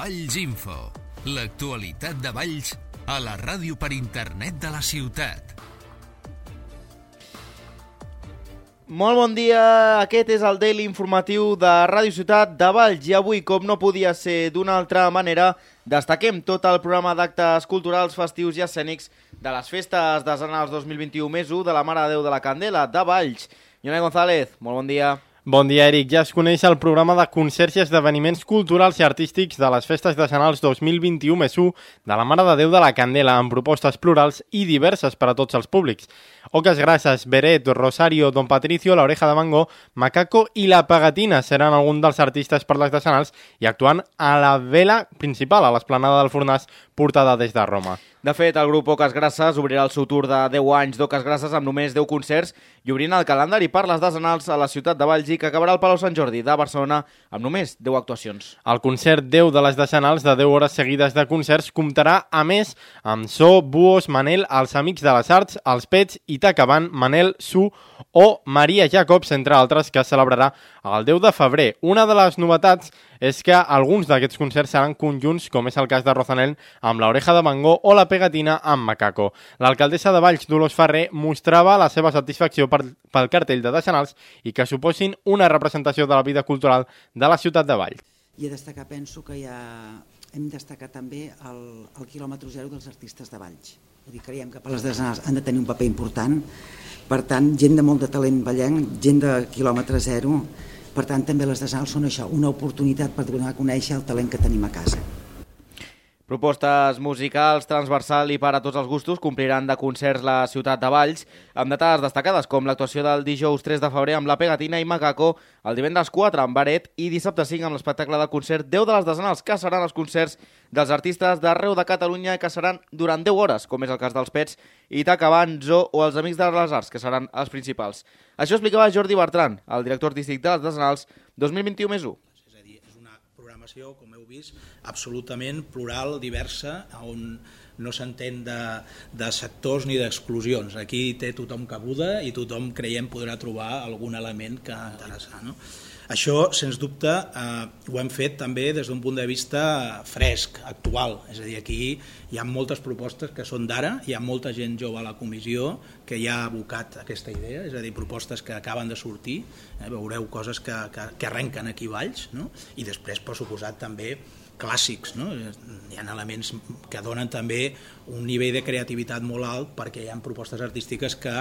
Valls Info, l'actualitat de Valls a la ràdio per internet de la ciutat. Molt bon dia, aquest és el Daily informatiu de Ràdio Ciutat de Valls i avui, com no podia ser d'una altra manera, destaquem tot el programa d'actes culturals, festius i escènics de les festes decenals 2021 més 1 de la Mare de Déu de la Candela de Valls. Ione González, molt bon dia. Bon dia, Eric. Ja es coneix el programa de concerts i esdeveniments culturals i artístics de les festes decenals 2021 més 1 de la Mare de Déu de la Candela, amb propostes plurals i diverses per a tots els públics. Oques Grasses, Beret, Rosario, Don Patricio, La Oreja de Mango, Macaco i La Pegatina seran alguns dels artistes per les decenals i actuant a la vela principal, a l'esplanada del Fornàs, portada des de Roma. De fet, el grup Oques Grasses obrirà el seu tour de 10 anys d'Oques Grasses amb només 10 concerts i obrint el calendari per les decenals a la ciutat de Valls i que acabarà al Palau Sant Jordi de Barcelona amb només 10 actuacions. El concert 10 de les decenals de 10 hores seguides de concerts comptarà, a més, amb So, Buos, Manel, Els Amics de les Arts, Els Pets, Itacaban, Manel, Su o Maria Jacobs, entre altres, que es celebrarà el 10 de febrer. Una de les novetats és que alguns d'aquests concerts seran conjunts, com és el cas de Rosanel amb La Oreja de Mango o La Pegatina amb Macaco. L'alcaldessa de Valls, Dolors Ferrer, mostrava la seva satisfacció pel cartell de decenals i que suposin una representació de la vida cultural de la ciutat de Valls. I a destacar, penso que hem destacat també el quilòmetre zero dels artistes de Valls. Vull dir, creiem que per les decenals han de tenir un paper important. Per tant, gent de molt de talent vallenc, gent de quilòmetre zero. Per tant, també les decenals són això, una oportunitat per donar a conèixer el talent que tenim a casa. Propostes musicals, transversal i per a tots els gustos compliran de concerts la ciutat de Valls, amb dates destacades com l'actuació del dijous 3 de febrer amb La Pegatina i Macaco, el divendres 4 amb Beret i dissabte 5 amb l'espectacle de concert 10 de les decenals, que seran els concerts dels artistes d'arreu de Catalunya que seran durant 10 hores, com és el cas dels Pets, Itacaban, Zo o els Amics de les Arts, que seran els principals. Això explicava Jordi Bertran, el director artístic de les decenals 2021 més 1. Com heu vist, absolutament plural, diversa, on no s'entén de sectors ni d'exclusions. Aquí té tothom cabuda i tothom, creiem, podrà trobar algun element que interessar. No? Això, sens dubte, ho hem fet també des d'un punt de vista fresc, actual. És a dir, aquí hi ha moltes propostes que són d'ara, hi ha molta gent jove a la comissió que ja ha abocat aquesta idea, és a dir, propostes que acaben de sortir, veureu coses que arrenquen aquí a Valls, no? I després, per suposat, també clàssics, no? Hi ha elements que donen també un nivell de creativitat molt alt perquè hi ha propostes artístiques que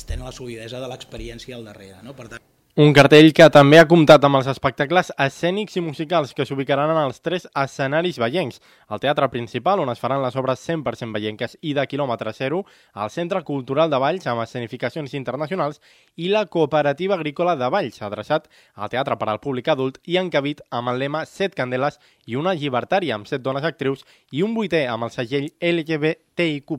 tenen la solidesa de l'experiència al darrere, no? Per tant, un cartell que també ha comptat amb els espectacles escènics i musicals que s'ubicaran en els 3 escenaris vallencs. El teatre principal, on es faran les obres 100% vallenques i de quilòmetre zero, el Centre Cultural de Valls, amb escenificacions internacionals, i la Cooperativa Agrícola de Valls, adreçat al teatre per al públic adult i encabit amb el lema 7 candeles i una llibertària amb 7 dones actrius i un 8è amb el segell LGBTIQ+.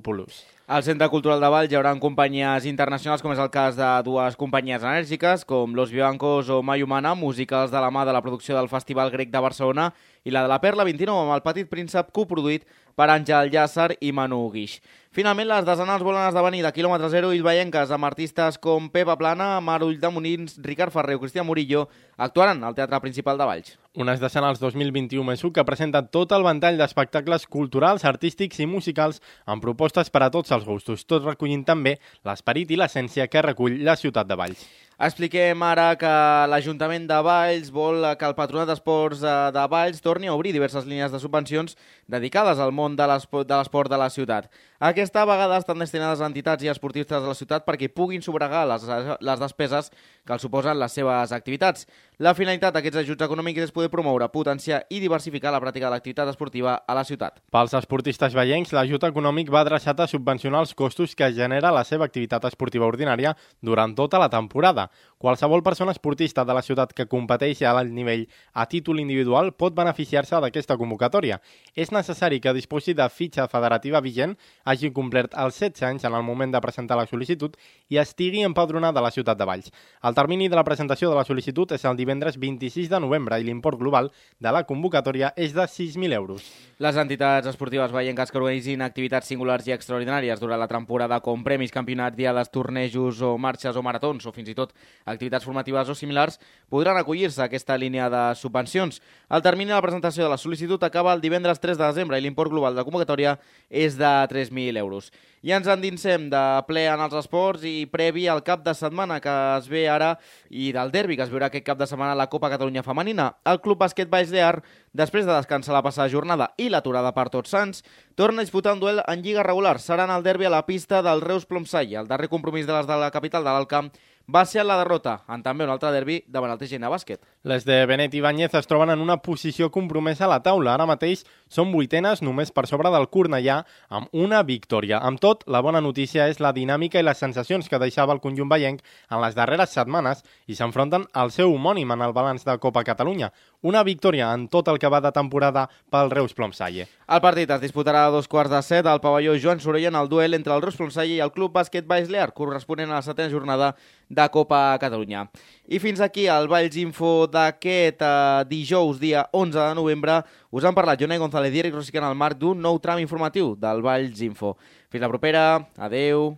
Al Centre Cultural de Valls hi haurà companyies internacionals, com és el cas de dues companyies enèrgiques, com Los Vivancos o Mai Humana, musicals de la mà de la producció del Festival Grec de Barcelona, i la de la Perla 29 amb el Petit Príncep, coproduït per Àngel Llàcer i Manu Guix. Finalment, les decenals volen esdevenir de quilòmetre zero i vallenques amb artistes com Pepa Plana, Mar Ulldemolins, Ricard Ferrer o Cristian Murillo actuaran al Teatre Principal de Valls. Unes decenals 2021 més 1 que presenten tot el ventall d'espectacles culturals, artístics i musicals amb propostes per a tots els gustos, tot recollint també l'esperit i l'essència que recull la ciutat de Valls. Expliquem ara que l'Ajuntament de Valls vol que el Patronat d'Esports de Valls torni a obrir diverses línies de subvencions dedicades al món de l'esport de la ciutat. Aquesta vegada estan destinades a entitats i esportistes de la ciutat perquè puguin sufragar les despeses que els suposen les seves activitats. La finalitat d'aquests ajuts econòmics és poder promoure, potenciar i diversificar la pràctica de l'activitat esportiva a la ciutat. Pels esportistes vallencs, l'ajut econòmic va adreçat a subvencionar els costos que genera la seva activitat esportiva ordinària durant tota la temporada. Qualsevol persona esportista de la ciutat que competeixi a l'alt nivell a títol individual pot beneficiar-se d'aquesta convocatòria. És necessari que disposi de fitxa federativa vigent, hagi complert els 16 anys en el moment de presentar la sol·licitud i estigui empadronat de la ciutat de Valls. El termini de la presentació de la sol·licitud és el divendres 26 de novembre i l'import global de la convocatòria és de 6.000 euros. Les entitats esportives vallenques que organitzin activitats singulars i extraordinàries durant la temporada com premis, campionats, diades, tornejos o marxes o maratons o fins i tot activitats formatives o similars podran acollir-se a aquesta línia de subvencions. El termini de la presentació de la sol·licitud acaba el divendres 3 de desembre i l'import global de convocatòria és de 3.000 euros. I ens endinsem de ple en els esports i previ al cap de setmana que es ve ara i del derbi que es veurà aquest cap de setmana a la Copa Catalunya Femenina. El Club Bàsquet Valls d'Ear, després de descansar la passada jornada i l'aturada per Tots Sants, torna a disputar un duel en lliga regular. Serà en el derbi a la pista del Reus Plomsalle. El darrer compromís de les de la capital de l'Alt Camp va ser la derrota en també un altre derbi davant el TGN Bàsquet. Les de Benet i Banyez es troben en una posició compromesa a la taula. Ara mateix són vuitenes només per sobre del Cornellà amb una victòria. Amb tot, la bona notícia és la dinàmica i les sensacions que deixava el conjunt vallenc en les darreres setmanes i s'enfronten al seu homònim en el balanç de Copa Catalunya. Una victòria en tot el que va de temporada pel Reus Plomsalle. El partit es disputarà a 2:15 al pavelló Joan Sorella en el duel entre el Reus Plomsalle i el Club Bàsquet Valls d'Ear, corresponent a la 7a jornada de Copa Catalunya. I fins aquí el Valls Info d'aquest dijous, dia 11 de novembre. Us han parlat Jonai González i Eric Rosicant al marc d'un nou tram informatiu del Valls Info. Fins la propera. Adeu.